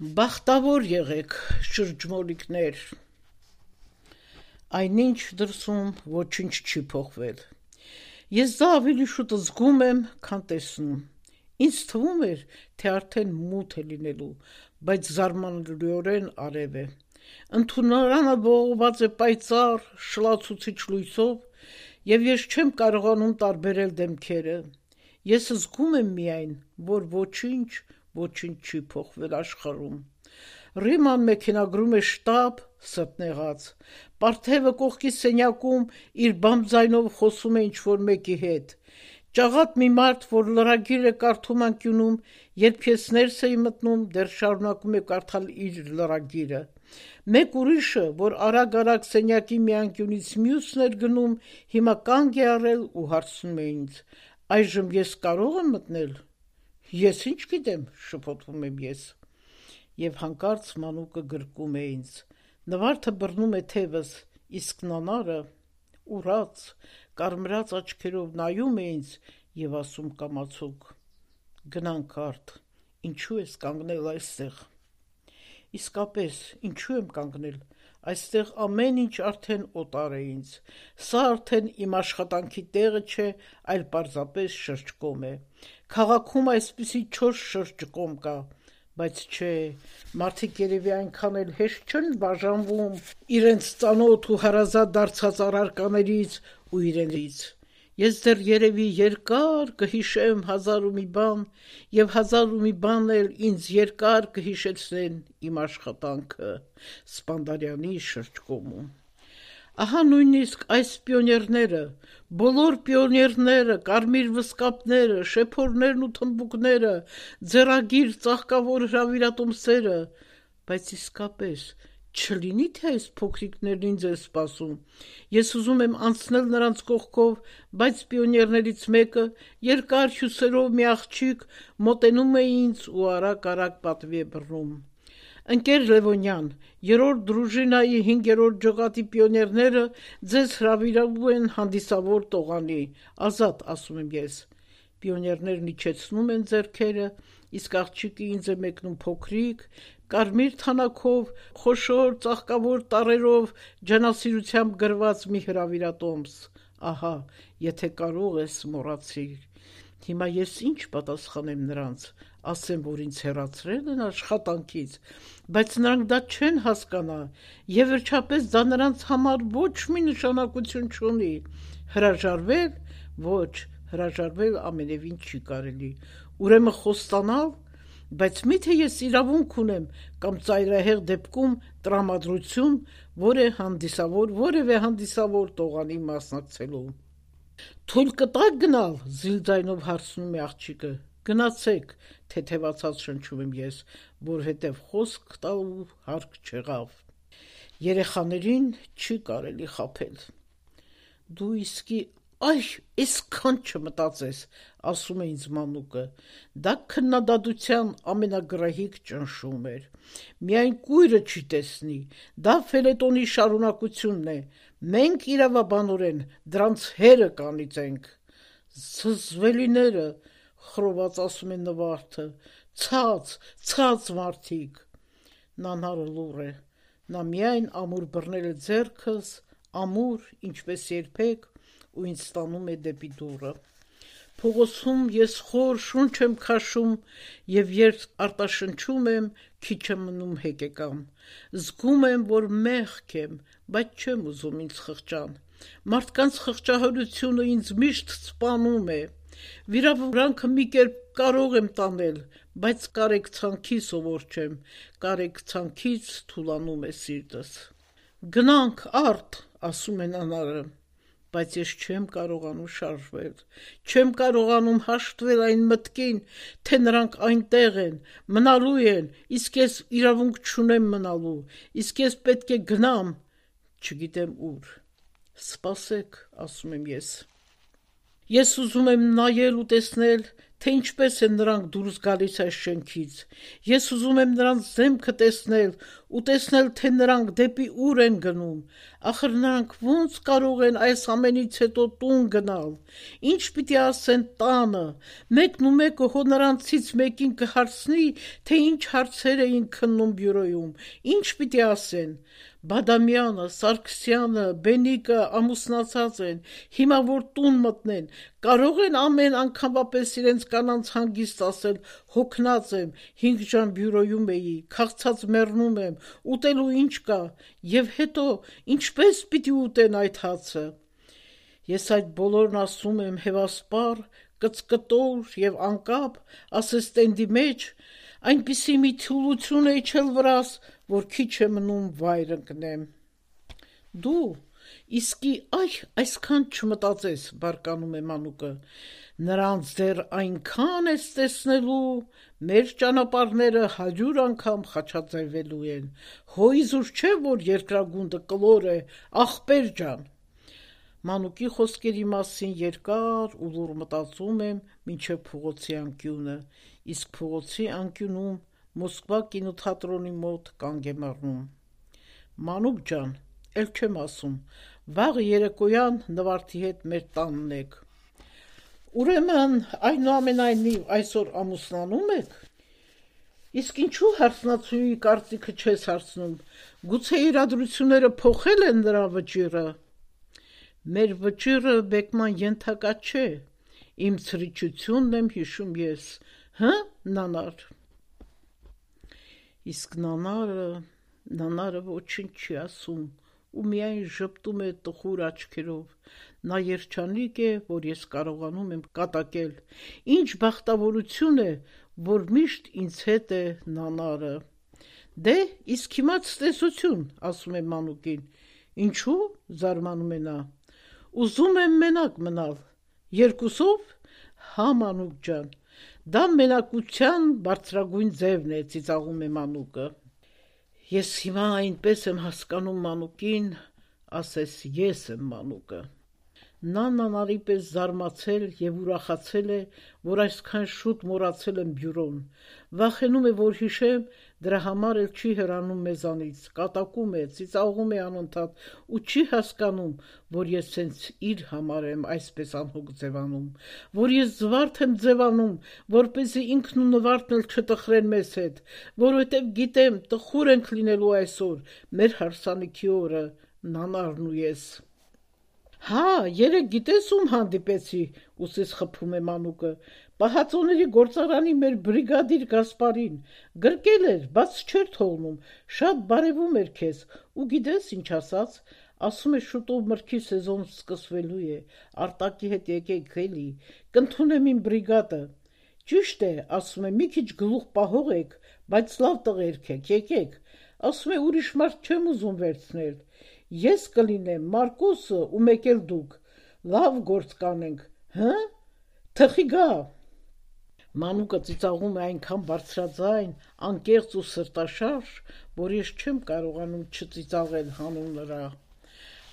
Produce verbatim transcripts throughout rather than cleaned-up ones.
Բախտավոր եղեք, շրջմոլիկներ, այնինչ դրսում ոչինչ չի փոխվել, ես դա ավելի շուտ զգում եմ, քան տեսնում, ինձ թվում էր, թե արդեն մութ է լինելու, բայց զարմանալիորեն արև է, ընդունարանը ողողված է պայծառ, շլացուցիչ լույսով, և ես չեմ կարողանում տարբերել դեմքերը, ես զգում եմ միայն, որ ոչինչ, ոչինչ չի փոխվել աշխարհում, Ռիման մեքենագրում է շտապ, սրտնեղած, Պարթևը կողքի սենյակում իր բամբ ձայնով խոսում է ինչ-որ մեկի հետ, ճաղատ մի մարդ, որ լրագիր է կարդում անկյունում, երբ ես ներս էի մտնում, դեռ շարունակում է կարդալ իր լրագիրը, մեկ ուրիշը, որ արագ-արագ սենյակի մի անկյունից մյուսն էր գնում, հիմա կանգ է առել ու հարցնում է ինձ, այժմ ես կարո՞ղ եմ մտնել, ես ինչ գիտեմ, շփոթվում եմ ես, և հանկարծ մանուկը գրկում է ինձ, նվարդը բռնում է թևս, իսկ նանարը, ուռած, կարմրած աչքերով նայում է ինձ և ասում կամացուկ, գնանք արդ, ինչու ես կանգնել այստեղ, իսկապես, ինչու եմ կանգնել, այստեղ ամեն ինչ արդեն օտար է ինձ, սա արդեն իմ աշխատանքի տեղը չէ, այլ պարզապես շրջկոմ է, քաղաքում այսպիսի չորս շրջկոմ կա, բայց չէ, մարդիկ երևի այնքան էլ հեշտ չեն բաժանվում իրենց ծանոթ ու հարազատ դարձած առարկաներից ու իրենից, ես դեռ երևի երկար կհիշեմ հազար ու մի բան և հազար ու մի բան էլ ինձ երկար կհիշեցնեն իմ աշխատանքը Սպանդարյանի շրջկոմում, ահա նույնիսկ այս պիոներները, բոլոր պիոներները, կարմիր վսկապները, շեփորներն ու թմբուկները, ձեռագիր ծաղկավոր հրավիրատոմսերը, բայց իսկապես չլինի թե այս փոքրիկներն ինձ են սպասում, ես ուզում եմ անցնել նրանց կողքով, բայց պիոներներից մեկը, երկար հյուսերով մի աղջիկ, մոտենում է ինձ ու արագ-արագ պատվի է բռնում, ընկեր Լևոնյան, երրորդ դրուժինայի հինգերորդ ջոկատի պիոներները ձեզ հրավիրում են հանդիսավոր տողանի, ազատ, ասում եմ ես, պիոներներն իջեցնում են ձեռքերը, իսկ աղջիկը ինձ է մեկնում փոքրիկ, կարմիր թանաքով, խոշոր ծաղկավոր տառերով ջանասիրությամբ գրված մի հրավիրատոմս, ահա, եթե կարող ես մոռացիր, հիմա ես ինչ պատասխանեմ նրանց, ասեմ, որ ինձ հեռացրել են աշխատանքից, բայց նրանք դա չեն հասկանա, և վերջապես դա նրանց համար ոչ մի նշանակություն չունի, հրաժարվել, ոչ, հրաժարվել ամենևին չի կարելի, ուրեմն խոստանալ, բայց միթե ես իրավունք ունեմ կամ ծայրահեղ դեպքում տրամադրություն, որ է հանդիսավոր, որևէ հանդիսավոր տողանի մասնակցելու, թույլ կտա՞ք գնալ, զիլ ձայնով հարցնում է աղջիկը, գնացեք, թեթևացած շնչում եմ ես, որովհետև խոսք տալու հարկ չեղավ, երեխաներին չի կարելի խաբել, դու իսկի այ, այսքան չմտածես, ասում է ինձ մանուկը, դա քննադատության ամենագրահիկ ճնշում էր, միայն կույրը չի տեսնի, դա ֆելետոնի շարունակությունն է, մենք իրավաբանորեն դրանց հերը կանիծենք, զզվելիները, խռոված ասում է նվարդը, ցած, ցած մարդիկ, նանարը լուռ է, նա միայն ամուր բռնել է ձեռքս, ամուր, ինչպես երբեք, ու ինձ տանում է դեպի դուռը, փողոցում ես խոր շունչ եմ քաշում և երբ արտաշնչում եմ, քիչ է մնում հեկեկան, զգում եմ, որ մեղք եմ, բայց չեմ ուզում ինձ խղճան, մարդկանց խղճահարությունը ինձ միշտ սպանում է, վիրավորանքը մի կերպ կարող եմ տանել, բայց կարեկցանքի սովոր չեմ, կարեկցանքից թուլանում է սիրտս, գնանք արդ, ասում է նանարը, բայց ես չեմ կարողանում շարժվել, չեմ կարողանում հաշտվել այն մտքին, թե նրանք այնտեղ են, մնալու են, իսկ ես իրավունք չունեմ մնալու, իսկ ես պետք է գնամ, չգիտեմ ուր, սպասեք, ասում եմ ես, ես ուզում եմ նայել ու տեսնել, թե ինչպես են նրանք դուրս գալիս այս շենքից։ Ես ուզում եմ նրանց դեմքը տեսնել ու տեսնել, թե նրանք դեպի ուր են գնում։ Ախր նրանք ո՞նց կարող են այս ամենից հետո տուն գնալ։ Ինչ պիտի ասեն տանը։ Մեկն ու մեկը հո նրանցից մեկին կհարցնի, թե ինչ հարցեր էին քննում բյուրոյում։ Ինչ պիտի ասեն։ Բադամյանը, Սարգսյանը, Բենիկը ամուսնացած են, հիմա որ տուն մտնեն, կարող են ամեն անգամվա պես իրենց կանանց հանգիստ ասել, հոգնած եմ, հինգ ժամ բյուրոյում էի, քաղցած մեռնում եմ, ուտելու ինչ կա, եւ հետո ինչպես պիտի ուտեն այդ հացը։ Ես այդ բոլորն ասում եմ հևասպար, կծկտոր եւ անկապ, ասես տենդի մեջ, այնպիսի մի թուլություն է իջել վրաս, որ քիչ է մնում վայր ընկնեմ։ Դու իսկի այ այսքան չմտածես, բարկանում է Մանուկը, նրանց դեռ այնքան ես տեսնելու, մեր ճանապարհները հարյուր անգամ խաչաձևելու են, հո իզուր չէ, որ երկրագունդը կլոր է, ախպեր ջան։ Մանուկի խոսքերի մասին երկար ու լուռ մտածում եմ մինչև փողոցի անկյունը, իսկ փողոցի անկյունում Մոսկվա կինոթատրոնի մոտ կանգ եմ առնում։ Մանուկ ջան, էլ չեմ ասում, վաղը երեկոյան Նվարդի հետ մեր տանն եք։ Ուրեմն այնուամենայնիվ այսօր ամուսնանում եք։ Իսկ ինչու հարսնացուի կարծիքը չես հարցնում, գուցե իրադրությունները փոխել են նրա վճիռը։ Մեր վճիռը բեկման ենթակա չէ, իմ ցրիչությունն եմ հիշում ես, հը, նանար։ Իսկ նանարը, նանարը ոչինչ չի ասում ու միայն ժպտում է տխուր աչքերով, նա երջանիկ է, որ ես կարողանում եմ կատակել, ինչ բախտավորություն է, որ միշտ ինձ հետ է նանարը։ Դե, իսկ հիմա ցտեսություն, ասում է Մանուկին, ինչու, զարմանում է նա, ուզում եմ մենակ մնալ, երկուսով, հա Մանուկ ջան, դա մենակության բարձրագույն ձևն է, ծիծաղում է Մանուկը։ Ես հիմա այնպես եմ հասկանում Մանուկին, ասես ես եմ Մանուկը։ Նա նանարի պես զարմացել եւ ուրախացել է, որ այսքան շուտ մոռացել եմ բյուրոն, վախենում է, որ հիշեմ, դրա համար էլ չի հեռանում մեզանից, կատակում է, ծիծաղում է անընդհատ ու չի հասկանում, որ ես սենց իր համար եմ այսպես անհոգ ձևանում, որ ես զվարթ եմ ձևանում, որպեսզի ինքն ու Նվարդն էլ չտխրեն մեզ հետ, որովհետև գիտեմ, տխուր ենք լինելու այսօր, մեր հարսանիքի օրը, նանարն ու ես։ Հա, երեկ գիտես ում հանդիպեցի, ուսիս խփում է Մանուկը, Պահածոների գործարանի մեր բրիգադիր Գասպարին, գրկել էր, բաց չէր թողնում, շատ բարևում էր քեզ, ու գիտես ինչ ասաց, ասում է շուտով մրգի սեզոն սկսվելու է, Արտակի հետ եկեք էլի, կընդունեմ իմ բրիգադը։ Ճիշտ է, ասում է, մի քիչ գլուխ պահող եք, բայց լավ տղերք եք, եկեք, ասում է, ուրիշ մարդ չեմ ուզում վերցնել։ Ես կլինեմ, Մարկոսը ու մեկ էլ դուք, լավ գործ կանենք, հը, թխի գա։ Մանուկը ծիծաղում է այնքան բարձրաձայն, անկեղծ ու սրտաշարժ, որ ես չեմ կարողանում չծիծաղել հանուն նրա։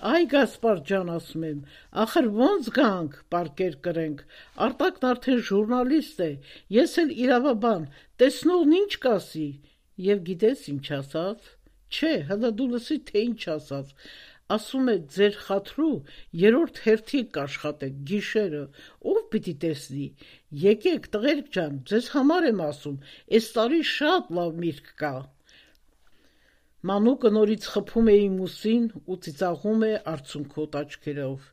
Այ Գասպար ջան, ասում եմ, ախր ոնց գանք, պարկեր կրենք, Արտակն արդեն ժուրնալիստ է, ես էլ իրավաբան, տեսնողն ինչ կասի, եւ գիտես ինչ ասաց, չէ, հլը դու լսի, թե ինչ ասաց, ասում է, ձեր խաթրու երորդ հերթի կաշխատեք, գիշերը, ով պիտի տեսնի, եկեք տղերք ջան, ձեզ համար եմ ասում, այս տարի շատ լավ միրգ կա։ Մանուկը նորից խփում է իմ ուսին ու ծիծաղում է արցունքոտ աչքերով։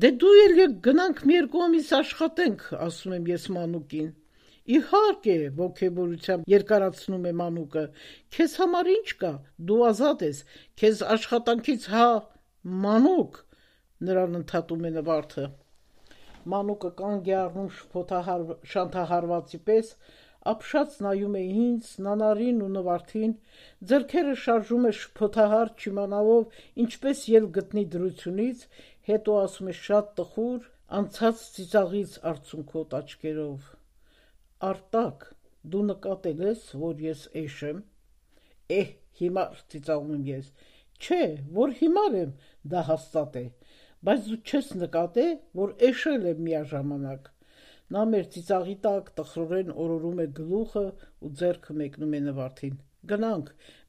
Դե դու էլ եկ գնանք մի երկու ամիս աշխատենք, ասում եմ ես Մանուկին։ Իհարկե, ոգևորությամբ երկարացնում է Մանուկը, քեզ համար ինչ կա, դու ազատ ես, քեզ աշխատանքից հա, Մանուկ, նրան ընդհատում է Նվարդը։ Մանուկը կանգ է առնում շփոթահար... շանթահարվածի պես, ապշած նայում է ինձ, Նանարին ու Նվարդին, ձեռքերը շարժում է շփոթահար չիմանալով ինչպես ել գտնի դրությունից, հետո ասում է շատ տխուր, անցած ծիծաղից արցունքոտ աչքերով. Արտակ, դու նկատել ես, որ ես էշ եմ։ Էհ, հիմար, ծիծաղում եմ ես։ Չէ, որ հիմար եմ, դա հաստատ է, բայց դու չես նկատել, որ էշել եմ միաժամանակ։ Նա մեր ծիծաղի տակ տխրորեն օրորում է գլուխը ու ձեռքը մեկնում է Նվարդին. «Գնանք,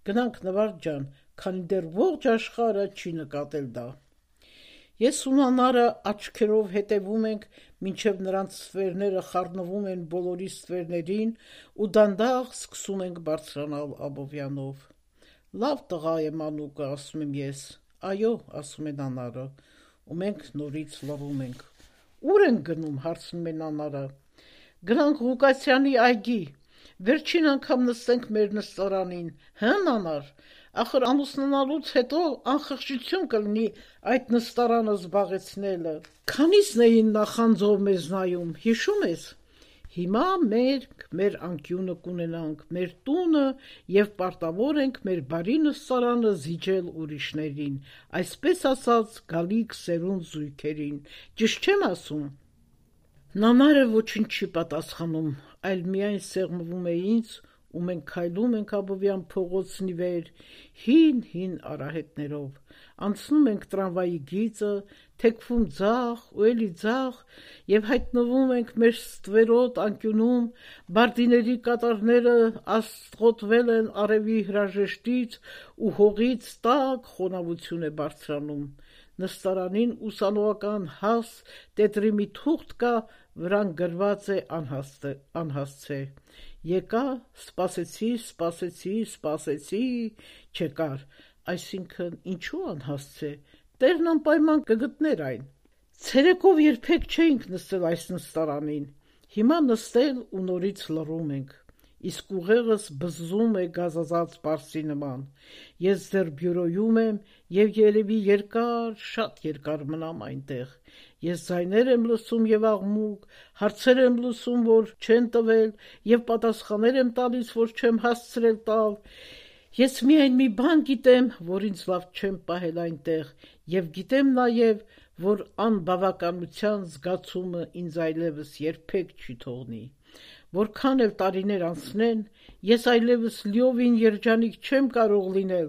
գնանք Նվարդ ջան, քանի դեռ ողջ աշխարհը չի նկատել դա»։ Ես ու Նանարը աչքերով հետևում ենք, մինչև նրանց ստվերները խառնվում են բոլորի ստվերներին ու դանդաղ սկսում ենք բարձրանալ Աբովյանով։ «Լավ տղա է Մանուկը», ասում եմ ես։ «Այո», ասում է Նանարը, ու մենք նորից լռում ենք։ «Ուր ենք գնում», հարցնում է Նանարը։ «Գնանք Ղուկասյանի այգի, վերջին անգամ նստենք մեր նստարանին, հը Նանար, ախր ամուսնանալուց հետո անխղճություն կլինի այդ նստարանը զբաղեցնելը»։ Քանիսն էին նախանձով մեզ նայում, հիշում ես։ Հիմա մենք մեր անկյունը կունենանք, մեր տունը, և պարտավոր ենք մեր բարի նստարանը զիջել ուրիշներին, այսպես ասած գալիք սերունդ զույգերին, ճիշտ չեմ ասում։ Նանարը ոչինչ չի պատասխանում, այլ միայն սեղմվում է ինձ, ու մենք քայլում ենք Աբովյան փողոցն ի վեր, հին-հին արահետներով, անցնում ենք տրամվայի գիծը, թեքվում ձախ ու էլի ձախ և հայտնվում ենք մեր ստվերոտ անկյունում, բարդիների կատարները աստղոտվել են արևի հրաժեշտից ու հողից տաք խոնավություն է բարձրանում։ Նստարանին ուսանողական հաս տետրի մի թուղթ կա, վրան գրված է անհասցե։ Եկա, սպասեցի, սպասեցի, սպասեցի, չեկար, այսինքն ինչու անհասցե, տերն անպայման կգտներ այն։ Ցերեկով երբեք չէինք նստել այս նստարանին, հիմա նստել ու նորից լռում ենք, իսկ ուղեղս բզզում է գազազած պարսի նման։ Ես դեռ բյուրոյում եմ և երևի երկար, շատ երկար մնամ այնտեղ։ Ես ձայներ եմ լսում և աղմուկ, հարցեր եմ լսում, որ չեն տվել, և պատասխաններ եմ տալիս, որ չեմ հասցրել տալ։ Ես միայն մի բան գիտեմ, որ ինձ լավ չեմ պահել այնտեղ, և գիտեմ նաև, որ անբավականության զգացումը ինձ այլևս երբեք չի թողնի։ Որքան էլ տարիներ անցնեն, ես այլևս լիովին երջանիկ չեմ կարող լինել,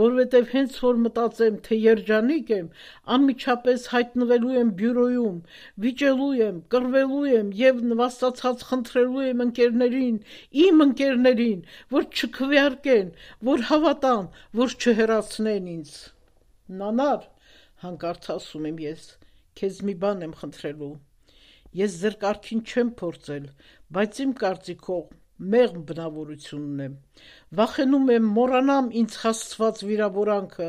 որովհետև հենց որ մտածեմ, թե երջանիկ եմ, անմիջապես հայտնվելու եմ բյուրոյում, վիճելու եմ, կռվելու եմ և նվաստացած խնդրելու եմ ընկերներին, իմ ընկերներին, որ չքվեարկեն, որ հավատան, որ չհեռացնեն ինձ։ Նանար, հանկարծ ասում եմ ես, քեզ մի բան եմ խնդրելու։ Ես ձեր կարգին չեմ փորձել, բայց իմ կարծիքով մեղմ բնավորություն ունեմ։ Վախենում եմ մոռանամ ինձ հասցված վիրավորանքը,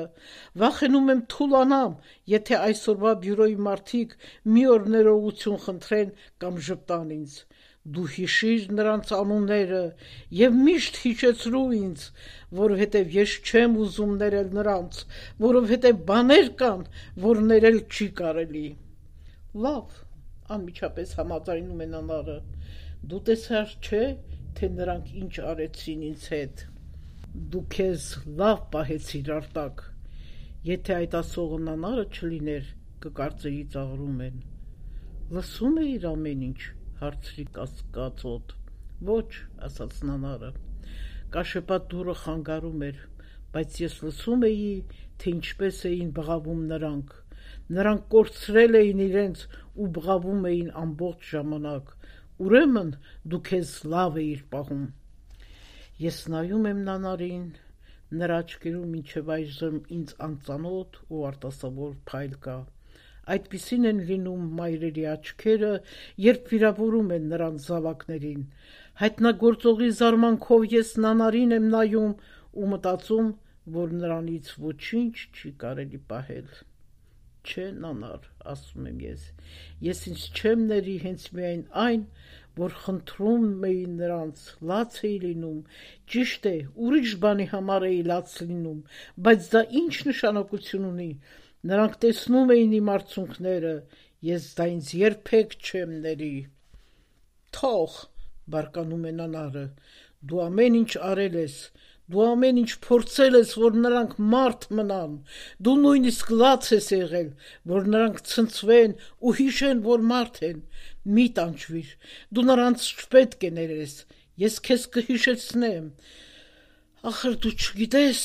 վախենում եմ թուլանամ, եթե այսօրվա բյուրոյի մարդիկ մի օր ներողություն խնդրեն կամ ժպտան ինձ։ Դու հիշիր նրանց անունները և միշտ հիշեցրու ինձ, որովհետև ես չեմ ուզում ներել նրանց, որովհետև բաներ կան, որ ներել չի կարելի։ Լավ, անմիջապես համաձայնում է Նանարը, դու տեսար չէ, թե նրանք ինչ արեցին ինձ հետ։ Դու քեզ լավ պահեցիր արտակ։ Եթե այդ ասողը Նանարը չլիներ, կկարծեի ծաղրում են։ Լսում էիր ամեն ինչ, հարցրի կասկածոտ։ Ոչ, ասաց Նանարը։ Կաշեպատ դուռը խանգարում էր, բայց ես լսում էի, թե ինչպես էին բղավում նրանք։ Նրանք կորցրել էին իրենց ու բղավում էին ամբողջ ժամանակ։ Ուրեմն դու քեզ լավ էիր պահում։ Ես նայում եմ Նանարին, նրա աչքերում մինչև այժմ ինձ անծանոթ ու արտասովոր փայլ կա։ Այդպիսին են լինում մայրերի աչքերը, երբ վիրավորում են նրանց զավակներին։ Հայտնագործողի զարմանքով ես Նանարին եմ նայում ու մտածում, որ նրանից ոչինչ չի կարելի պահել։ Չէ, Նանար, ասում եմ ես, ես ինձ չեմ ների հենց միայն այն, որ խնդրում էի նրանց, լաց էի լինում, ճիշտ է, ուրիշ բանի համար էի լաց լինում, բայց դա ինչ նշանակություն ունի, նրանք տեսնում էին իմ արցունքները, ես դա ինձ երբեք չեմ ների։ Թող, բարկանում է Նանարը, դու ամեն ինչ արել ես, դու ամեն ինչ փորձել ես, որ նրանք մարդ մնան, դու նույնիսկ լաց ես եղել, որ նրանք ցնցվեն ու հիշեն, որ մարդ են, մի տանջվիր, դու նրանց չպետք է ներես, ես քեզ կհիշեցնեմ, ախր դու չգիտես։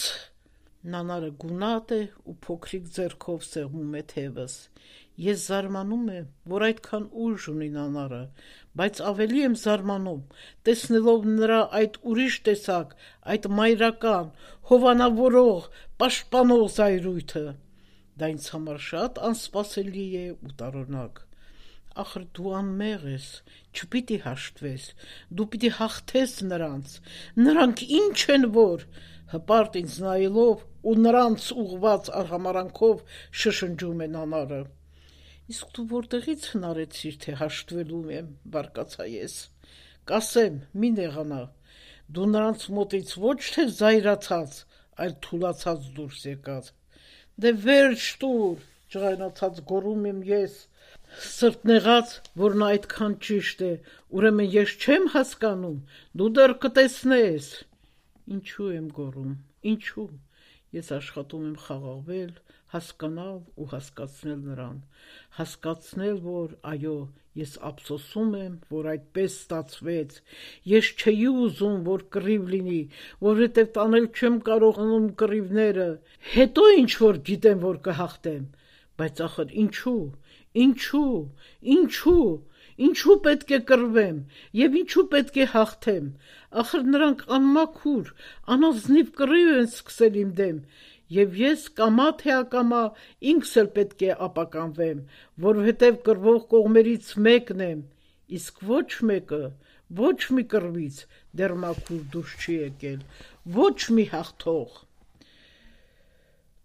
Նանարը գունատ է ու փոքրիկ ձեռքով սեղմում է թևս։ Ես զարմանում եմ, որ այդքան ուժ ունի Նանարը, բայց ավելի եմ զարմանում, տեսնելով նրա այդ ուրիշ տեսակ, այդ մայրական, հովանավորող, պաշտպանող զայրույթը։ Դա ինձ համար շատ անսպասելի է ու տարօրինակ։ Ախր դու անմեղ ես, չպիտի հաշտվես, դու պիտի հաղթես նրանց, նրանք ինչ են որ, հպարտ ինձ նայելով ու նրանց ուղված արհամարանքով շշնջում է Նանարը։ Իսկ դու որտեղից հնարեցիր, թե հաշտվելու եմ, բարկացա ես։ Կասեմ, մի նեղանա, դու նրանց մոտից ոչ թե զայրացած, այլ թուլացած դուրս եկած։ Դե վերջ տուր, ջղայնացած գոռում եմ ես, սրտնեղած, որ նա այդքան ճիշտ է, ուրեմն ես չեմ հասկանում, դու դեռ կտեսնես։ Ինչու եմ գոռում, ինչու։ Ես աշխատում եմ խաղաղվել, հասկանալ ու հասկացնել նրան, հասկացնել, որ այո, ես ափսոսում եմ, որ այդպես ստացվեց, ես չէի ուզում, որ կռիվ լինի, որովհետև տանել չեմ կարողանում կռիվները, հետո ինչ որ գիտեմ, որ կհաղթեմ, բայց ախր ինչու, ինչու, ինչու, ինչու պետք է կռվեմ և ինչու պետք է հաղթեմ, ախր նրանք անմաքուր, անազնիվ կռիվ են սկսել իմ դեմ, և ես կամա թե ակամա ինքս էլ պետք է ապականվեմ, որովհետև կռվող կողմերից մեկն եմ, իսկ ոչ մեկը, ոչ մի կռվից դեռ մաքուր դուրս չի եկել, ոչ մի հաղթող։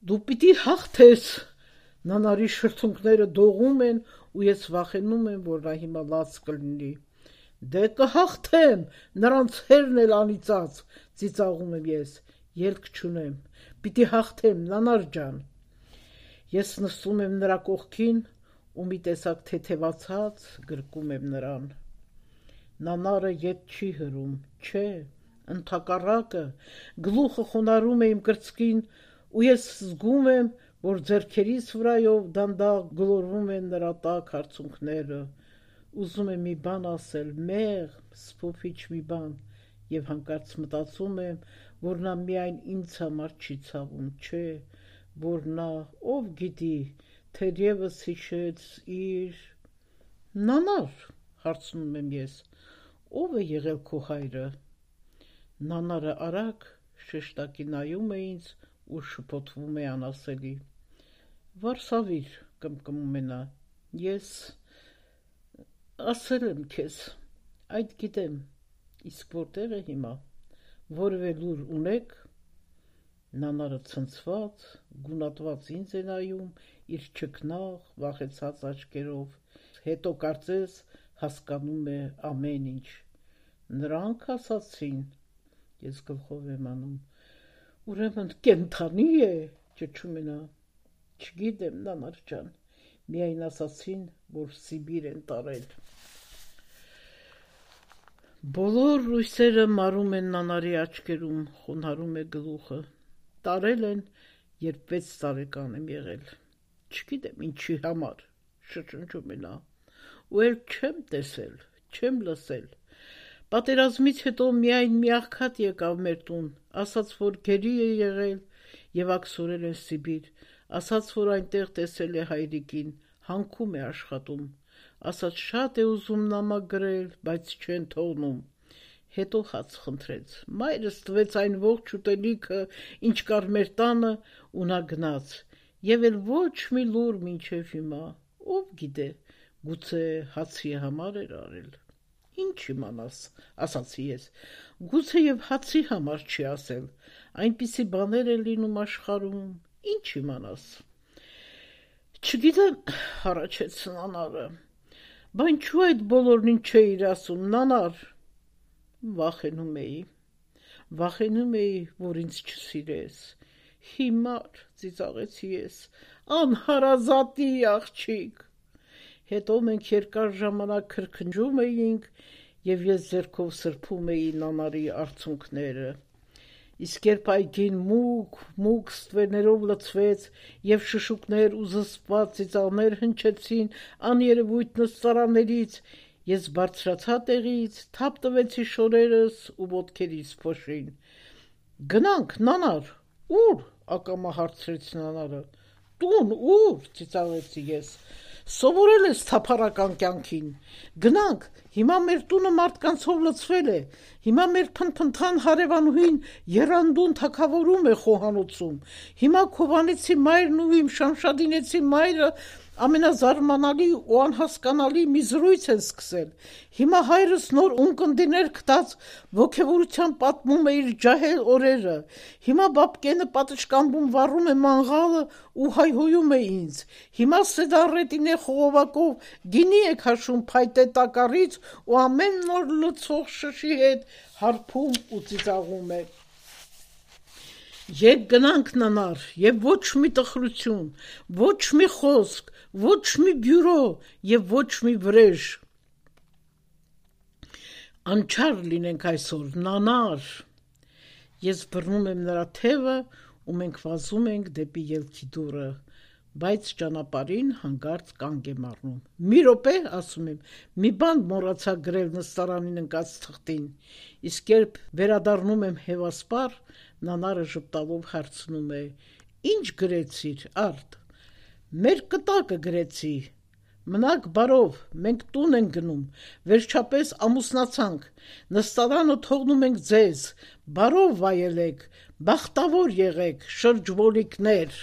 Դու պիտի հաղթես։ Նանարի շրթունքները դողում են ու ես վախենում եմ, որ նա հիմա լաց կլինի։ Դե կհաղթեմ, նրանց հերն էլ անիծած, ծիծաղում եմ ես, ելք չունեմ, պիտի հաղթեմ, Նանար ջան։ Ես նստում եմ նրա կողքին ու մի տեսակ թեթևացած գրկում եմ նրան։ Նանարը ետ չի հրում, չէ, ընդհակառակը, գլուխը խոնարհում է իմ կրծքին ու ես զգում եմ, որ ձեռքերիս վրայով դանդաղ գլորվում են նրա տաք հարցունքները, ուզում եմ մի բան ասել, մեղ, սփոփիչ մի բան, և հանկարծ մտածում եմ, որ նա միայն ինձ համար չի ցավում, չէ, որ նա, ով գիտի, թերևս հիշեց իր… Նանար, հարցնում եմ ես, ով է եղել քո հայրը։ Նանարը արագ շեշտակի նայում է ինձ ու շփոթվում է անասելի։ Վարշավիր, կմկմում է նա, ես ասել եմ քեզ, այդ գիտեմ, իսկ որտեղ է հիմա, որևէ լուր ունեք։ Նանարը ցնցված, գունատված ինձ է նայում իր չքնաղ, վախեցած աչքերով, հետո կարծես հասկանում է ամեն ինչ։ Նրանք ասացին, ես գլխով եմ անում, ուրեմն կենդանի է, ճչում է նա։ Չգիտեմ, Նանար ջան, միայն ասացին, որ Սիբիր են տարել։ Բոլոր լույսերը մարում են Նանարի աչքերում, խոնարհում է գլուխը։ Տարել են, երբ վեց տարեկան եմ եղել։ Չգիտեմ ինչի համար, շշնջում է նա, ու էլ չեմ տեսել, չեմ լսել։ Պատերազմից հետո միայն մի աղքատ եկավ մեր տուն, ասաց, որ գերի է եղել և աքսորել են Սիբիր, ասաց, որ այնտեղ տեսել է հայրիկին, հանքում է աշխատում, ասաց շատ է ուզում նամակ գրել, բայց չեն թողնում։ Հետո հաց խնդրեց, մայրս տվեց այն ողջ ուտելիքը, ինչ կար մեր տանը, ու նա գնաց, և էլ ոչ մի լուր մինչև հիմա, ով գիտե, գուցե հացի համար էր արել։ Ինչ իմանաս, ասացի ես, գուցե և հացի համար չի ասել, այնպիսի բաներ է լինում աշխարհում, ինչ իմանաս։ Չգիտեմ, հառաչեց Նանարը, բա ինչու այդ բոլորն ինչ չէիր ասում, Նանար։ Վախենում էի, վախենում էի, որ ինձ չսիրես։ Հիմար, ծիծաղեցի ես, անհարազատի աղջիկ։ Հետո մենք երկար ժամանակ քրքնջում էինք, և ես ձեռքով սրբում էի Նանարի արցունքները։ Իսկ երբ այգին մուգ, մուգ ստվերներով լցվեց և շշուկներ ու զսպված ծիծաղներ հնչեցին աներևույթ նստարաններից, ես բարձրացա տեղից, թափ տվեցի շորերս ու ոտքերիս փոշին։ Գնանք, Նանար, ուր, ակամա հարցրեց Նանարը։ Տուն, ուր, ծիծաղեցի ես։ Սովորել ես թափառական կյանքին։ Գնանք, հիմա մեր տունը մարդկանցով լցվել է, հիմա մեր փնփնթան հարևանուհին եռանդուն թագավորում է խոհանոցում, հիմա Քովանեցի մայրն ու իմ Շամշադինեցի մայրը ամենազարմանալի ու անհասկանալի մի զրույց են սկսել, հիմա հայրս նոր ունկնդիներ գտած ոգևորության պատմում է իր ջահել օրերը, հիմա բաբկենը պատշկամբում վառում է մանգաղը ու հայհոյում է ինձ, հիմա Սեդառետինե խողովակով գինի է քաշում փայտե տակառից ու ամեն նոր լցող շշի հետ հարբում ու ծիծաղում է։ Երբ գնանք ննար, եւ ոչ մի տխրություն, ոչ մի խոսք, ոչ մի բյուրո եւ ոչ մի վրեժ։ Անչար լինենք այսօր, նանար։ Ես բռնում եմ նրա թևը ու մենք վազում ենք դեպի ելքի դուռը, բայց ճանապարհին հանկարծ կանգ եմ առնում։ Մի րոպե, ասում եմ, մի բան մոռացա գրել նստարանին ընկած թղթին, իսկ երբ վերադառնում եմ հևասպար, նանարը ժպտալով հարցնում է. Ինչ գրեցիր, Արդ։ Մեր կտակը գրեցի։ Մնաք բարով, մենք տուն ենք գնում, վերջապես ամուսնացանք, նստարանը թողնում ենք ձեզ, բարով վայելեք, բախտավոր եղեք, շրջվոլիկներ։